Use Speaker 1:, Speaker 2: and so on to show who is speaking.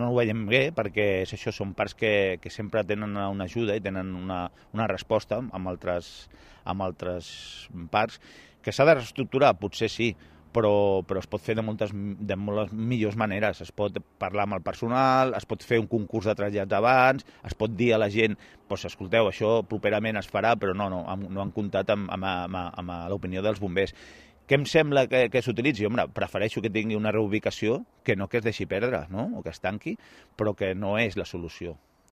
Speaker 1: no ho veiem bé perquè és això, són parcs que sempre tenen una ajuda i tenen una resposta amb altres parcs, que s'ha de reestructurar, potser sí, però es pot fer de moltes millors maneres. Es pot parlar amb el personal, es pot fer un concurs de trasllats abans, es pot dir a la gent, doncs, escolteu, això properament es farà, però no han comptat amb l'opinió dels bombers. Què em sembla que s'utilitzi? Home, prefereixo que tingui una reubicació que no que es deixi perdre, no? O que es tanqui, però que no és la solució.